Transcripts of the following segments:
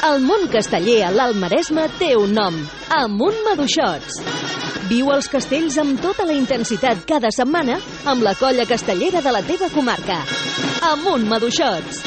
El món casteller a l'Alt Maresme té un nom: Amunt Maduixots. Viu els castells amb tota la intensitat cada setmana amb la colla castellera de la teva comarca. Amunt Maduixots.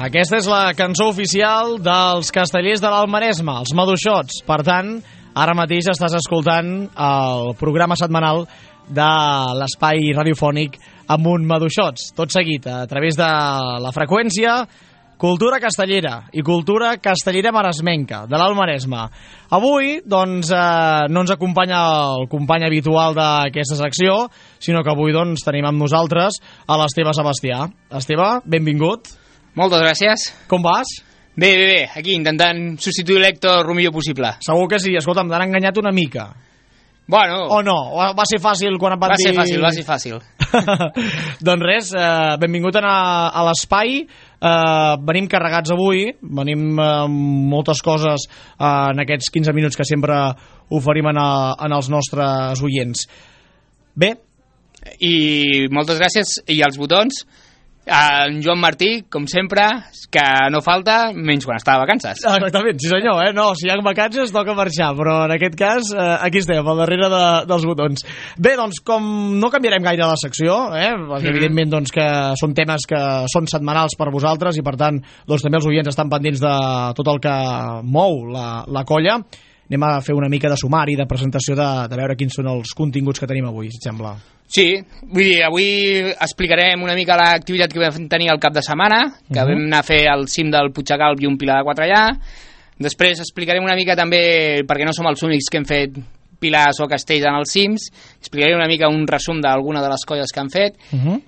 Aquesta és la cançó oficial dels castellers de l'Alt Maresme, els Maduixots. Per tant, ara mateix estàs escoltant el programa setmanal de l'espai radiofònic Amunt Maduixots. Tot seguit, a través de la freqüència Cultura Castellera i Cultura Castellera Maresmenca, de l'Alt Maresme. Avui, doncs, no ens acompanya el company habitual d'aquesta secció, sinó que avui, doncs, tenim amb nosaltres a l'Esteve Sebastià. Esteve, benvingut. Moltes gràcies. Com vas? Bé, aquí intentant substituir l'Héctor el millor possible. Segur que sí, escolta'm, t'han enganyat una mica. Bueno... O no? Va ser fàcil quan et van dir... Va ser fàcil. Doncs res, benvingut a l'espai. Venim carregats avui, venim amb moltes coses en aquests 15 minuts que sempre oferim en els nostres oients. Bé. I moltes gràcies. I els botons... En Joan Martí, com sempre, que no falta, menys quan està de vacances. Exactament, sí senyor, no, si hi ha vacances toca marxar, però en aquest cas aquí estem, al darrere dels botons. Bé, doncs, com no canviarem gaire la secció, perquè evidentment doncs, que són temes que són setmanals per vosaltres i per tant doncs, també els oients estan pendents de tot el que mou la colla, anem a fer una mica de sumari, de presentació, de veure quins són els continguts que tenim avui, si et sembla. Sí, vull dir, avui explicarem una mica l'activitat que vam tenir el cap de setmana, que vam anar a fer al cim del Puigdecalp i un pilar de 4 allà. Després explicarem una mica també, perquè no som els únics que hem fet pilars o castells en els cims, explicaré una mica un resum d'alguna de les colles que han fet,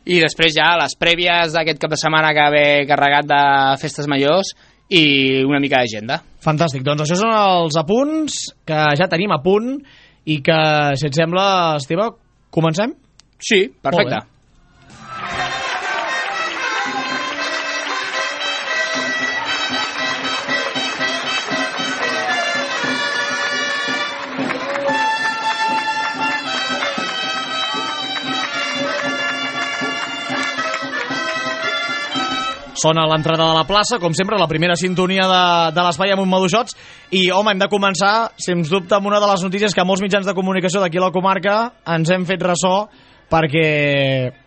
i després ja les prèvies d'aquest cap de setmana que ve carregat de festes majors i una mica d'agenda. Fantàstic, doncs això són els apunts que ja tenim a punt i que, si et sembla, Esteve, comencem? Sí, perfecte. Sona a l'entrada de la plaça, com sempre, la primera sintonia de l'espai Amunt Maduixots. I, home, hem de començar, sens dubte, amb una de les notícies que molts mitjans de comunicació d'aquí a la comarca ens hem fet ressò, perquè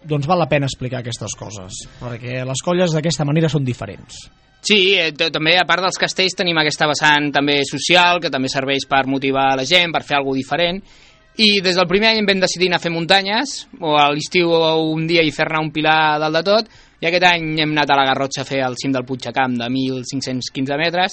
doncs val la pena explicar aquestes coses, perquè les colles d'aquesta manera són diferents. Sí, també a part dels castells tenim aquesta vessant també social, que també serveix per motivar la gent, per fer alguna diferent, i des del primer any vam decidir anar a fer muntanyes, o a l'estiu un dia i fer-ne un pilar dalt de tot, i aquest any hem anat a la Garrotxa a fer el cim del Puigdecalp de 1.515 metres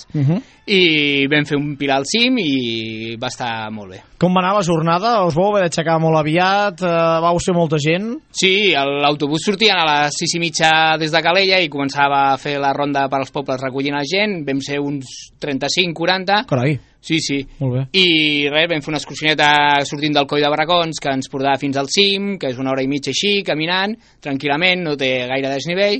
i vam fer un pilar al cim i va estar molt bé. Com va anar la jornada? Us vau haver d'aixecar molt aviat? Vau ser molta gent? Sí, l'autobús sortia a les 6:30 des de Calella i començava a fer la ronda per als pobles recollint la gent. Vam ser uns 35-40. Carai. Sí. Molt bé. I res, vam fer una excursioneta sortint del Coll de Barracons que ens portava fins al cim, que és 1 hora i mitja així, caminant, tranquil·lament, no té gaire desnivell.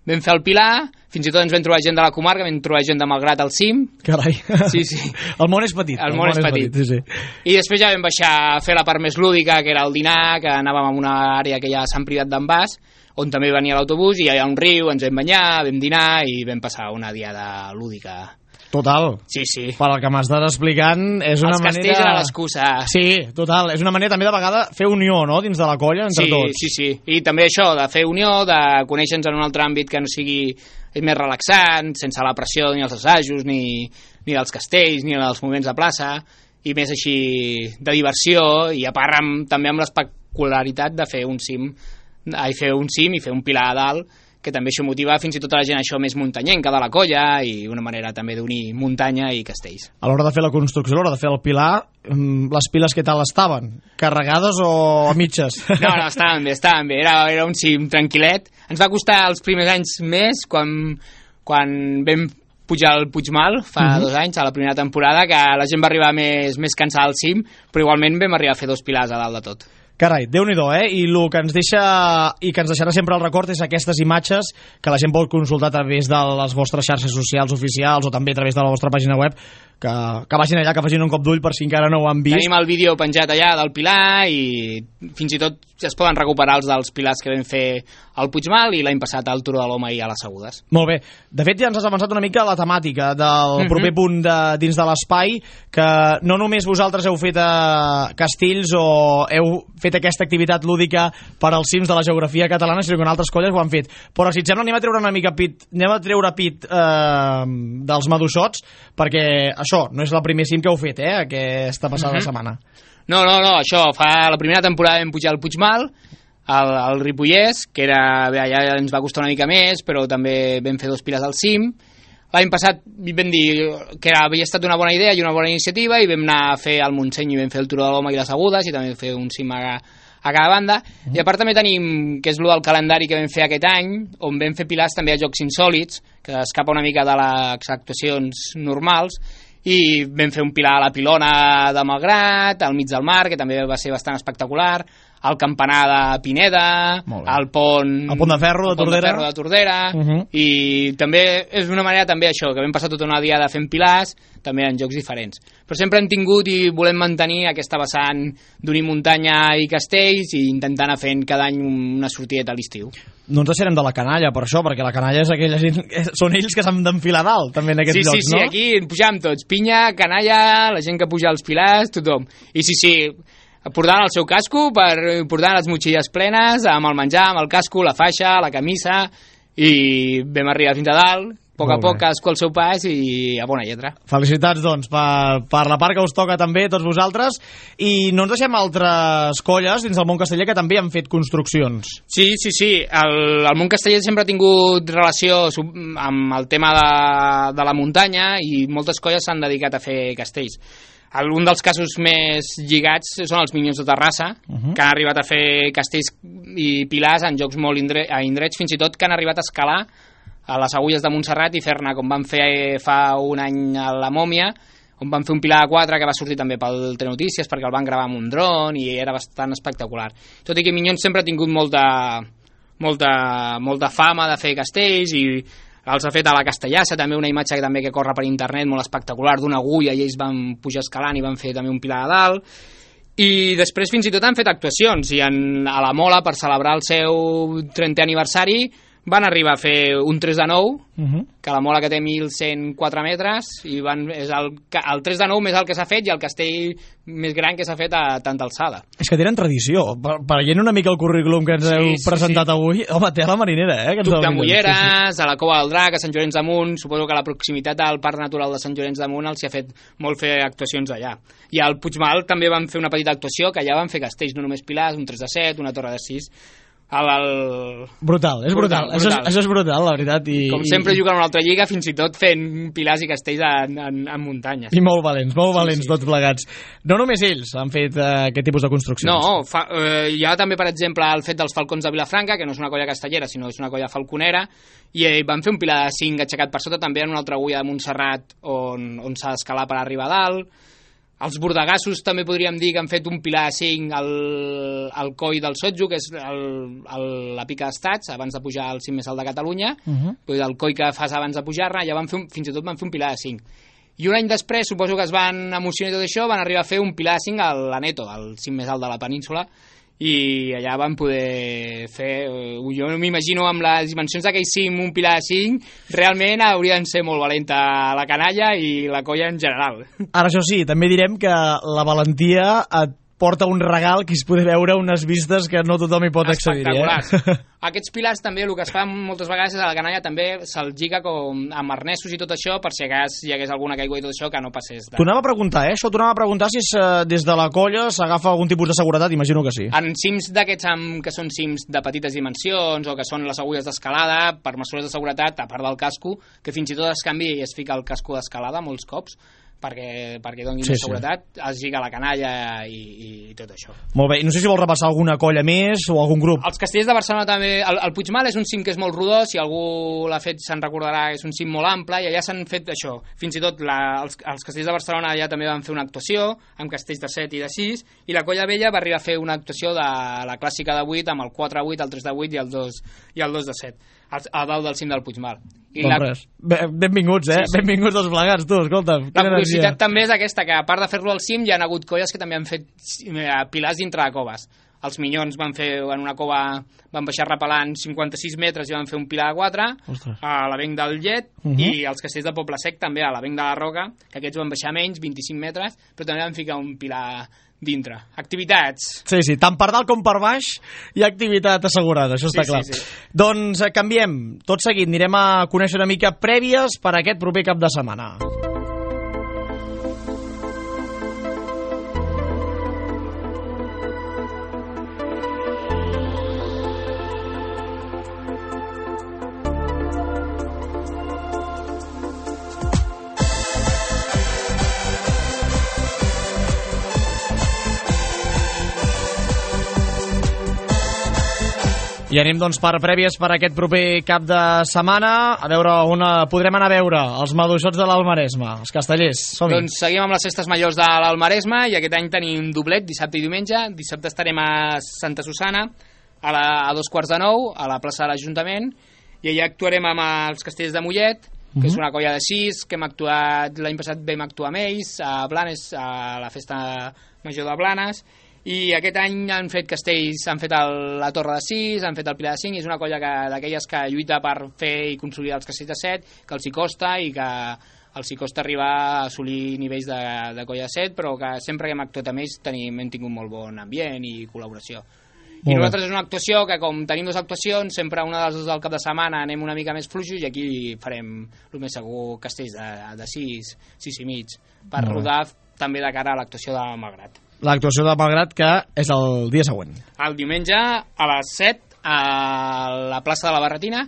Vam fer el pilar, fins i tot ens vam trobar gent de la comarca, vam trobar gent de Malgrat al cim. Carai. Sí. El món és petit. El món és petit. Sí. I després ja vam baixar a fer la part més lúdica, que era el dinar, que anàvem a una àrea que hi ha a Sant Privat d'en Bas, on també venia l'autobús, i hi ha un riu, ens vam banyar, vam dinar i vam passar una diada lúdica. Total. Sí. Per al que m'estàs explicant, és una manera... Els castells eren l'excusa. Sí, total. És una manera també de vegada fer unió, no?, dins de la colla, entre tots. Sí. I també això, de fer unió, de conèixer-nos en un altre àmbit que no sigui més relaxant, sense la pressió ni els assajos, ni dels castells, ni dels moments de plaça, i més així de diversió, i a part també amb l'espectacularitat de fer un cim i fer un pilar a dalt, que també això motiva fins i tot a la gent això més muntanyenca de la colla i una manera també d'unir muntanya i castells. A l'hora de fer la construcció, a l'hora de fer el pilar, les piles què tal estaven? Carregades o a mitges? No, estaven bé, era un cim tranquil·let. Ens va costar els primers anys més quan vam pujar al Puigmal fa 2 anys, a la primera temporada, que la gent va arribar més cansada al cim, però igualment vam arribar a fer 2 pilars a dalt de tot. Carai, Déu-n'hi-do, I el que ens deixa i que ens deixarà sempre el record és aquestes imatges que la gent pot consultar a través de les vostres xarxes socials oficials o també a través de la vostra pàgina web, que vagin allà, que facin un cop d'ull per si encara no ho han vist. Tenim el vídeo penjat allà del Pilar i fins i tot es poden recuperar els dels pilars que vam fer al Puigmal i l'any passat al Turó de l'Home i a les Segudes. Molt bé. De fet, ja ens has avançat una mica la temàtica del proper punt dins de l'espai, que no només vosaltres heu fet castells o heu fet aquesta activitat lúdica per als cims de la geografia catalana, sinó que en altres colles ho han fet. Però si et sembla, anem a treure una mica pit dels maduixots, perquè això no és el primer cim que heu fet, aquesta passada setmana. No, això, la primera temporada vam pujar al Puigmal, al Ripollès, que allà ens va costar una mica més, però també vam fer 2 piles al cim. L'any passat vam dir que havia estat una bona idea i una bona iniciativa i vam anar a fer el Montseny i vam fer el Turó de l'Home i les Agudes i també vam fer un cim a cada banda. I a part també tenim, que és el del calendari que vam fer aquest any, on vam fer pilars també a Jocs Insòlits, que escapa una mica de les actuacions normals, i vam fer un pilar a la Pilona de Malgrat, al mig del mar, que també va ser bastant espectacular, al campanar de Pineda, al pont de Ferro de Tordera, i també és una manera també això, que vam passar tota una diada fent pilars, també en jocs diferents. Però sempre hem tingut i volem mantenir aquesta vessant d'unir muntanya i castells i intentar anar fent cada any una sortideta a l'estiu. No ens deixarem de la canalla, per això, perquè la canalla és aquella gent... Són ells que s'han d'enfilar dalt, també, en aquests llocs, no? Sí, aquí pujam tots. Pinya, canalla, la gent que puja als pilars, tothom. I sí, portant el seu casco, portant les motxilles plenes, amb el menjar, amb el casco, la faixa, la camisa, i vam arribar fins a dalt, a poc cadascú al seu pas i a bona lletra. Felicitats, doncs, per la part que us toca també, tots vosaltres, i no ens deixem altres colles dins del món casteller que també han fet construccions. Sí, el món casteller sempre ha tingut relació amb el tema de la muntanya i moltes colles s'han dedicat a fer castells. Un dels casos més lligats són els Minyons de Terrassa, que han arribat a fer castells i pilars en jocs molt indrets, fins i tot que han arribat a escalar a les Agulles de Montserrat i fer-ne, com van fer fa un any a la Mòmia, on van fer un pilar de 4 que va sortir també pel Telenotícies perquè el van gravar amb un dron i era bastant espectacular. Tot i que Minyons sempre ha tingut molta fama de fer castells i els ha fet a la Castellassa, també una imatge que corre per internet molt espectacular d'una agulla i ells van pujar escalant i van fer també un pilar a dalt. I després fins i tot han fet actuacions i a la Mola, per celebrar el seu 30è aniversari, van arribar a fer un 3 de 9, que la Mola que té 1.104 metres, i el 3 de 9 més el que s'ha fet i el castell més gran que s'ha fet a tanta alçada. És que tenen tradició. Veient una mica el currículum que ens heu presentat avui, home, té a la marinera, Tuc de Mulleres, a la Cova del Drac, a Sant Llorenç d'Amunt, suposo que la proximitat al Parc Natural de Sant Llorenç d'Amunt els hi ha fet molt fer actuacions allà. I al Puigmal també van fer una petita actuació, que allà van fer castells, no només pilars, un 3 de 7, una torre de 6... Brutal. Això és brutal, la veritat. Com sempre juguen a una altra lliga, fins i tot fent pilars i castells en muntanyes. I molt valents tots plegats. No només ells han fet aquest tipus de construccions. No, hi ha també, per exemple, el fet dels Falcons de Vilafranca, que no és una colla castellera, sinó és una colla falconera, i van fer un pilar de 5 aixecat per sota també en una altra agulla de Montserrat on s'ha d'escalar per arribar a dalt. Els bordegassos també podríem dir que han fet un pilar 5 al coll del Sotjo, que és la pica d'estats, abans de pujar al cim més alt de Catalunya, el coll que fas abans de pujar-ne, ja fins i tot van fer un pilar de 5. I un any després, suposo que es van emocionar i tot això, van arribar a fer un pilar de 5 a l'Aneto, al cim més alt de la península, i allà van poder fer, jo m'imagino amb les dimensions d'aquell cim, un pilar de 5, realment haurien de ser molt valenta la canalla i la colla en general. Ara, això sí, també direm que la valentia et porta un regal que es poder veure unes vistes que no tothom hi pot accedir. Espectaculars. Aquests pilars també, el que es fa moltes vegades és a la canalla també se'ls lliga amb arnesos i tot això per si hi hagués alguna caigua i tot això que no passés. T'ho anava a preguntar, això t'ho anava a preguntar si des de la colla s'agafa algun tipus de seguretat, imagino que sí. En cims d'aquests que són cims de petites dimensions o que són les agulles d'escalada, per mesures de seguretat, a part del casco, que fins i tot es canvia i es fica el casco d'escalada molts cops, perquè donin seguretat, es lliga la canalla i tot això. Molt bé, i no sé si vols repassar alguna colla més o algun grup. Els castellers de Barcelona també, el Puigmal és un cim que és molt rodó, si algú l'ha fet se'n recordarà, és un cim molt ample i allà s'han fet això, fins i tot els castellers de Barcelona allà també van fer una actuació amb castells de 7 i de 6 i la colla vella va arribar a fer una actuació de la clàssica de 8 amb el 4-8, el 3-8 i el 2-7 a dalt del cim del Puigmal. Benvinguts, Sí. Benvinguts tots plegats, tu, escolta. La curiositat també és aquesta, que a part de fer-lo al cim, hi ha hagut colles que també han fet pilars dintre de coves. Els Minyons van fer en una cova, van baixar repelant 56 metres i van fer un pilar de 4. Ostres. A l'Avenc del Llet, i els castells de Poble Sec també a l'Avenc de la Roca, que aquests van baixar menys, 25 metres, però també van ficar un pilar dintre. Activitats. Sí, tant per dalt com per baix hi ha activitat assegurada, això està clar. Sí. Doncs canviem, tot seguit anirem a conèixer una mica prèvies per a aquest proper cap de setmana. I anem doncs per prèvies per aquest proper cap de setmana, a veure on podrem anar a veure els maduixots de l'Almaresme, els castellers. Som-hi. Doncs seguim amb les festes majors de l'Almaresme i aquest any tenim doblet, dissabte i diumenge. Dissabte estarem a Santa Susana a 2:15 a la plaça de l'Ajuntament i allà actuarem amb els castells de Mollet, que és una colla de 6, que hem actuat l'any passat, vam actuar amb ells a Blanes, a la festa major de Blanes, i aquest any han fet castells, han fet la Torre de 6, han fet el Pilar de 5, i és una colla d'aquelles que lluita per fer i consolidar els castells de 7, que els hi costa i que els hi costa arribar a assolir nivells de colla de 7, però que sempre que hem actuat amb ells hem tingut molt bon ambient i col·laboració. I nosaltres és una actuació que, com tenim dues actuacions, sempre una de les dues del cap de setmana anem una mica més fluixos i aquí farem, el més segur, castells de 6 i mig, per rodar també de cara a l'actuació de Malgrat. L'actuació de Malgrat, que és el dia següent. El diumenge a les 7 a la plaça de la Barretina,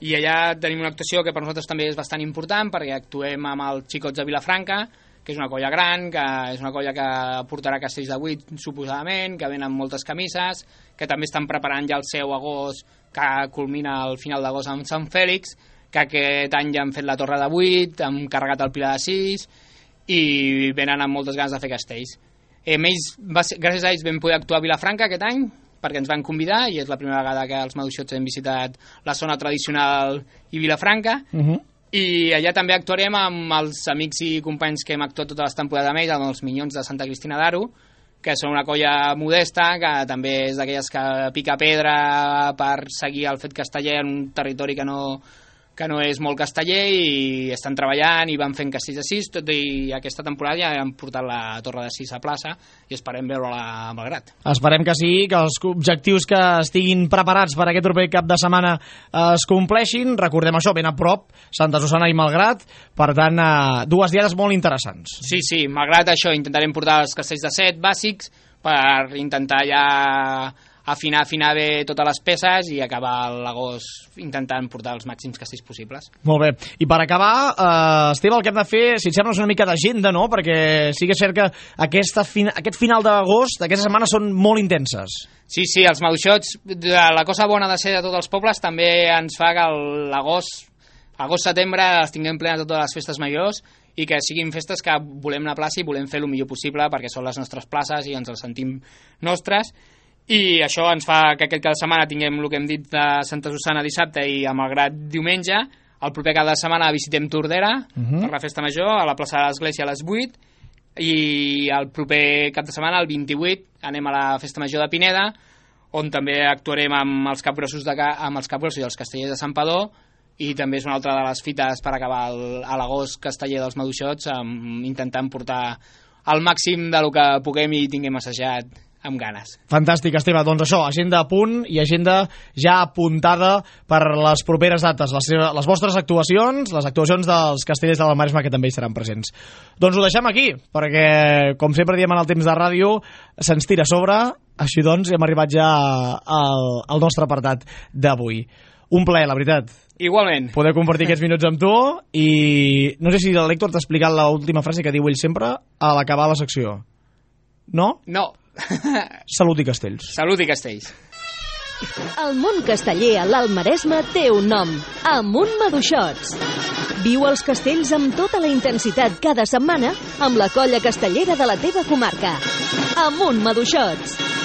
i allà tenim una actuació que per nosaltres també és bastant important perquè actuem amb els xicots de Vilafranca, que és una colla gran, que és una colla que portarà castells de 8 suposadament, que venen moltes camises, que també estan preparant ja el seu agost, que culmina al final d'agost amb Sant Fèlix, que aquest any ja han fet la Torre de 8, han carregat el Pilar de 6 i venen amb moltes ganes de fer castells. Gràcies a ells vam poder actuar a Vilafranca aquest any perquè ens van convidar i és la primera vegada que els maduixots hem visitat la zona tradicional i Vilafranca, i allà també actuarem amb els amics i companys que hem actuat totes les temporades amb ells, amb els Minyons de Santa Cristina d'Aro, que són una colla modesta, que també és d'aquelles que pica pedra per seguir el fet casteller en un territori que no és molt casteller, i estan treballant i van fent castells de 6, tot i aquesta temporada ja han portat la Torre de 6 a plaça i esperem veure-la a Malgrat. Esperem que sí, que els objectius que estiguin preparats per aquest proper cap de setmana es compleixin. Recordem això, ben a prop, Santa Susana i Malgrat, per tant, dues diades molt interessants. Sí, Malgrat això, intentarem portar els castells de 7 bàsics per intentar ja afinar bé totes les peces i acabar l'agost intentant portar els màxims castells possibles. Molt bé. I per acabar, Esteve, el que hem de fer, si et sembla, és una mica d'agenda, no? Perquè sí que és cert que aquest final d'agost, aquestes setmanes són molt intenses. Sí, els maduixots, la cosa bona de ser de tots els pobles també ens fa que l'agost-setembre les tinguem plenes de totes les festes majors i que siguin festes que volem anar a plaça i volem fer el millor possible perquè són les nostres places i ens les sentim nostres. I això ens fa que aquest cap de setmana tinguem el que hem dit de Santa Susana dissabte i a Malgrat diumenge. El proper cap de setmana visitem Tordera per la festa major a la plaça de l'Església a les 8 i el proper cap de setmana, el 28, anem a la festa major de Pineda, on també actuarem amb els capgrossos i els castellers de Santpedor, i també és una altra de les fites per acabar a l'agost casteller dels maduixots, intentant portar al màxim de lo que puguem i tinguem assajat amb ganes. Fantàstic, Esteve. Doncs això, agenda a punt i agenda ja apuntada per les properes dates, les vostres actuacions, les actuacions dels Castellers de la Maresma, que també hi seran presents. Doncs ho deixem aquí, perquè, com sempre diem en el temps de ràdio, se'ns tira a sobre, així doncs hem arribat ja al nostre apartat d'avui. Un plaer, la veritat. Igualment. Poder compartir aquests minuts amb tu i no sé si l'Héctor t'ha explicat l'última frase que diu ell sempre a l'acabar la secció. No? No. Salut i castells. Salut i castells. El món casteller a l'Alt Maresme té un nom, Amunt Maduixots. Viu els castells amb tota la intensitat cada setmana amb la colla castellera de la teva comarca. Amunt Maduixots.